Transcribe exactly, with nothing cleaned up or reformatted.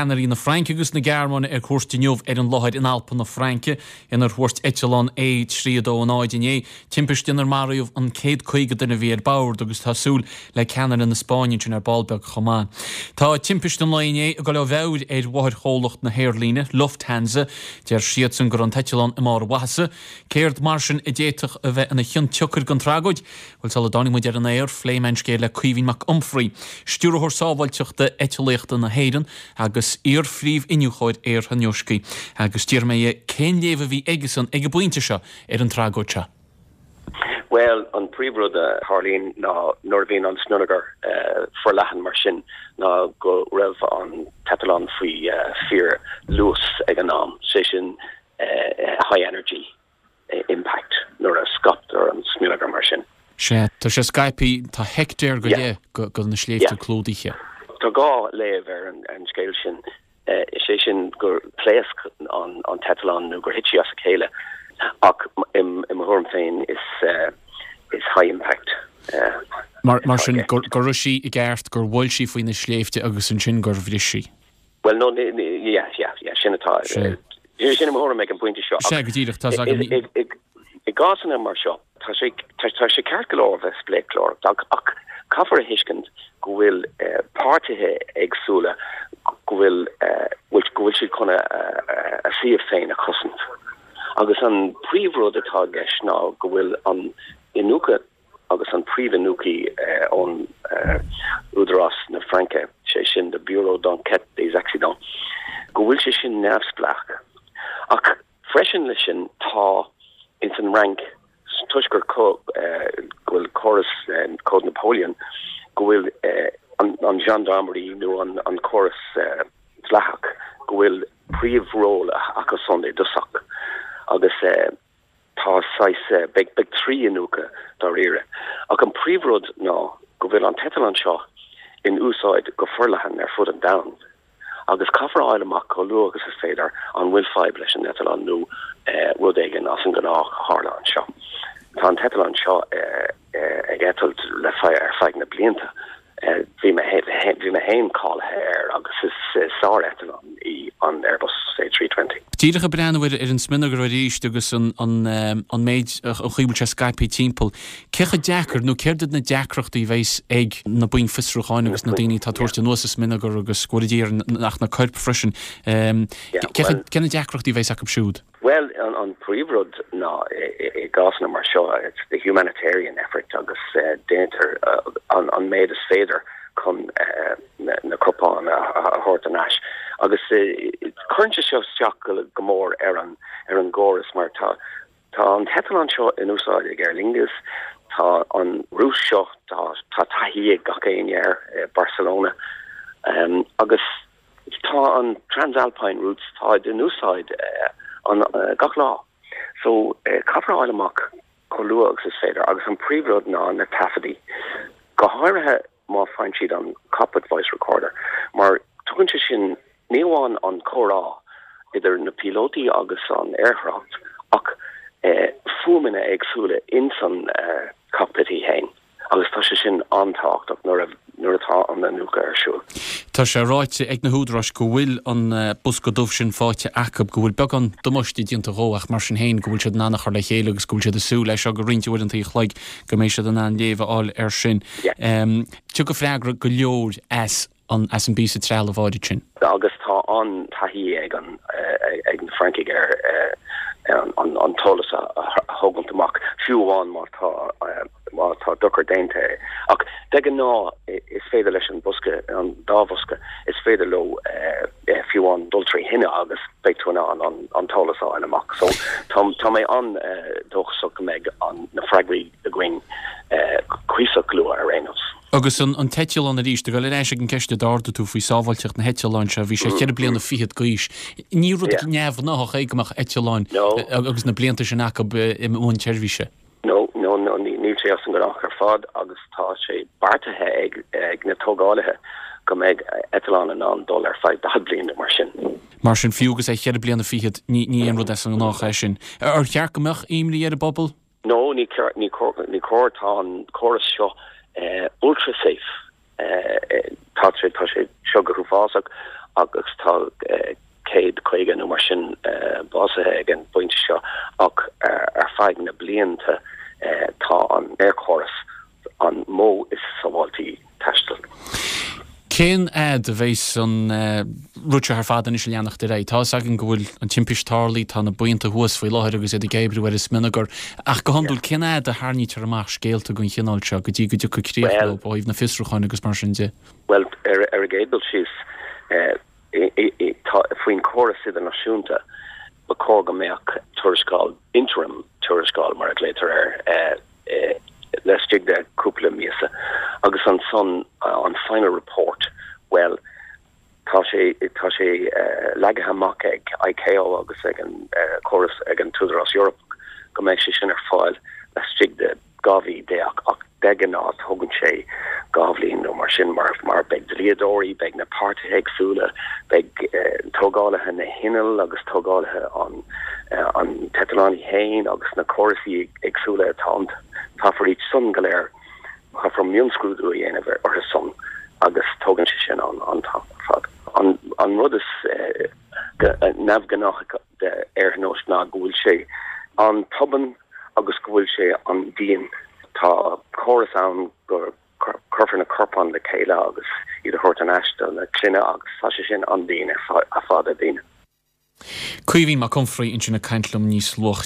ceannairí na Fraince agus na Gearmáine ar cuairt inniu ar an láthair in Alpa na Fraince inar thuairt eitleán A trí dó náid inné, timpiste inar maraíodh an céad caoga duine a bhí ar bord agus tá súil le ceannaire na Spáinne ansin ar ball beag chomh maith. Tá timpiste an lae inné ag dul ó mheabhair ar mháthairchomhlacht na haerlíne, Lufthansa, deir siadsan go raibh an t-eitleán i mbarr a mhaitheasa. Céard mar sin a d'fhéadfadh a bheith ina chionsiocair don tragóid? Bhuel sula dtáinig muid ar an aer, phléigh mé an scéal le Caoimhín Mac Unfraidh, Stiúrthóir Sábháilteachta Eitlíochta na hÉireann agus iar-phríomh-iniúchóir aerthionóiscí, agus d'iarr mé dhe cén léamh a bhí aigesan ag an bpointe seo ar an tragóid seo. Well, an príomhrud a tharlaíonn ná nuair a bhíonn an smionagar uh, forleathan mar sin ná go raibh an t-eitleán faoi uh, fíorluas ag an am, sé sin uh, high energy impact nuair a scaiptear an smionagar mar sin. Sé tá sé scaipthe tá heicteár go leith go na sléibhte clúdaithe. Tá dhá léamh ar an, an scéal sin uh, sé sin gur pléasc an, an t-eitleán nó gur thit sí as a chéile ach im, im thuairim féin is uh, is high impact. Uh, mar, mar sin gur gur raibh sí i gceart gur bhuail sí faoi na sléibhte agus ansin gur bhris sí. Well no yeah, yeah, yeah, sin atá sin im thuairim ag an bpointe seo. Sé go díreach tá I gcásanna mar seo tá sé tá sé ceart go leor bheith spléaclóir ach caithfear a thuiscint go bhfuil uh, páirtithe éagsúla go bhfuil uh, go bhfuil siad chun a, a, a suíomh féin a chosaint. Agus an príomhrud atá leis ná go bhfuil an iniúchadh agus an príomhiniúchaí uh, ón uh, Údarás na Fraince sé sin de Bureau d'enquête des accidents go bhfuil sé sin neamhspleách. Ach freisin leis sin tá ins an Fhrainc toisc gur go bhfuil córas Cód Napoleon go bhfuil uh, an, an gendarmerie nó an, an córas uh, dleathach go bhfuil príomhról acu san i dtosach agus uh, tá uh, beidh beidh trí iniúchadh dáiríre. Ach an príomhrud ná go bhfuil an t-eitleán seo in úsáid go forleathan ar fud an domhain. Agus caithfear a fháil amach chomh luath agus is féidir an bhfuil fadhb leis an eitleán nó uh, rud éigin as an ngnách a tharla anseo. Tá an t-eitleán seo uh, uh, ag eitilt le ar feadh na blianta. Bhí bhí mé féin cáilithe air agus is sár-eitleán í an Airbus A three twenty. Díreach ag breathnú ar an smionagar arís agus an an an méid an chaoi bhfuil sé scaipthe timpeall. Cé chomh deacair nó céard iad na deacrachtaí a bheas ag na boinn fiosrúcháin agus na daoine atá ag tabhairt anuas an smionagar agus go dtí nach na coirp freisin. Cé na deacrachtaí a bheas acu siúd? Well an, an príomhrud ná i gcásanna mar seo it's the humanitarian effort agus uh, déantar uh, an, an méid is féidir chun uh, na, na corpáin a, a, a thabhairt anuas. Agus uh, cuireann sé seo isteach go, go mór ar an ar an gcóras mar tá tá an t-eitleán seo in úsáid ag Aer Lingus, tá an route seo tá tá taithí ag gach éinne air uh, Barcelona um, agus tá an Transalpine routes tá in úsáid uh, an uh, gach lá. So uh, caithfear a fháil amach chomh luath agus is féidir agus an príomhrud ná na taifeadtaí. Go háirithe má faigheann siad an cockpit voice recorder, mar tugann sé sin ní amháin an comhrá idir na píolótaí agus an aerthrácht ach eh, fuaimeanna éagsúla in san eh, cockpit í féin. Agus tá sé sin an-tábhachtach nuair nuair atá an iniúchadh ar siúl. Tá sé ráite ag na húdaráis go bhfuil an bosca dubh sin faighte acu go bhfuil beagán damáiste déanta dhó ach mar sin féin go bhfuil siad in ann a chur le chéile agus go bhfuil siad ag súil leis seo go roinnt uaireanta an chloig go mbeidh siad in ann léamh a fháil air sin. Tiocfaidh freagra go leor as an as an bpíosa trealamh áirid sin. Agus tá an taithí ag an ag na Francaigh ar an, an, an t-eolas a, a thógaint amach fiú amháin má tá má tá dochar déanta. Ach de ghnáth is féidir leis an bosca an dá bhosca is féidir leo uh, fiú amháin dul trí thine agus beidh tú an an, an t-eolas a fháil amach. So tá tá mé an uh, dóchasach go mbeidh an na freagraí againn uh, cuíosach luath ar aon nós. Agus an, an t-eitleán arís, go leis an gceist a d'ardaigh tú faoi sábháilteacht na heitleáin seo, bhí sé ceithre bliana fichead d'aois. Ní rud neamhghnách é go mbeadh eitleán agus na blianta sin acu i mbun seirbhíse. No, no, no, níl sé as an ngnách ar fad agus tá sé beartaithe ag, ag na tógálaithe go mbeidh eitleán in ann dul ar feadh daichead bliain mar sin. Mar sin fiú agus é ceithre bliana fichead ní ní aon rud as an ngnách é sin. Ar cheart go mbeadh imní ar an bpobal? No, ní ní ní cóir tá an córas seo uh, ultra safe. Uh, tá sé tá sé seo go huafásach agus tá céad caoga nó mar sin básaithe ag an bpointe seo ach ar feadh na blianta tá an aerchóras an modh is sábháiltí taistil. Cén fhad a bheas an rud seo ar fad anois ag leanacht ar aghaidh? Tá a fhios againn go bhfuil an timpist tarlaithe, tá na buíonta thuas faoi láthair agus iad ag oibriú ar an smionagar. Ach go hiondúil cén fhad a tharraingítear amach scéalta den chineál seo go dtí go dtiocfaidh críoch leo ó thaobh na fiosrúcháin agus mar sin de? Bhuel ar ar an gcéad dul síos tá faoin córas idirnáisiúnta ba chóir go mbeadh tuarascáil interim tuarascáil mar a ghlaotar air laistigh de cúpla míosa agus ansan an final report well tá sé tá sé uh, leagtha amach ag ICAO agus ag an uh, córas ag an tÚdarás Eorpach go mbeidh sé sin ar fáil laistigh de dhá mhí déag ach de ghnáth tógann sé dhá bhliain nó mar sin mar mar beidh dlíodóirí beidh na páirtithe éagsúla beidh uh, tógálaithe na hinneall agus tógálaithe an uh, an t-eitleán féin agus na córasaí éagsúla atá caithfear iad san go léir caithfear mionscrúdú a dhéanamh orthu san agus tógann sé sin an an fad. An, an rud is uh, neamhghnách de aerthionóisc ná go bhfuil sé an-tobann agus go bhfuil sé an-dian tá córas ann go cuirfear na corpáin le chéile agus iad a thabhairt ar ais do na clainne agus tá sé sin an-dian ar fad ar daoine. Caoimhín Mac Unfraidh ansin ag caint liom níos luaithe.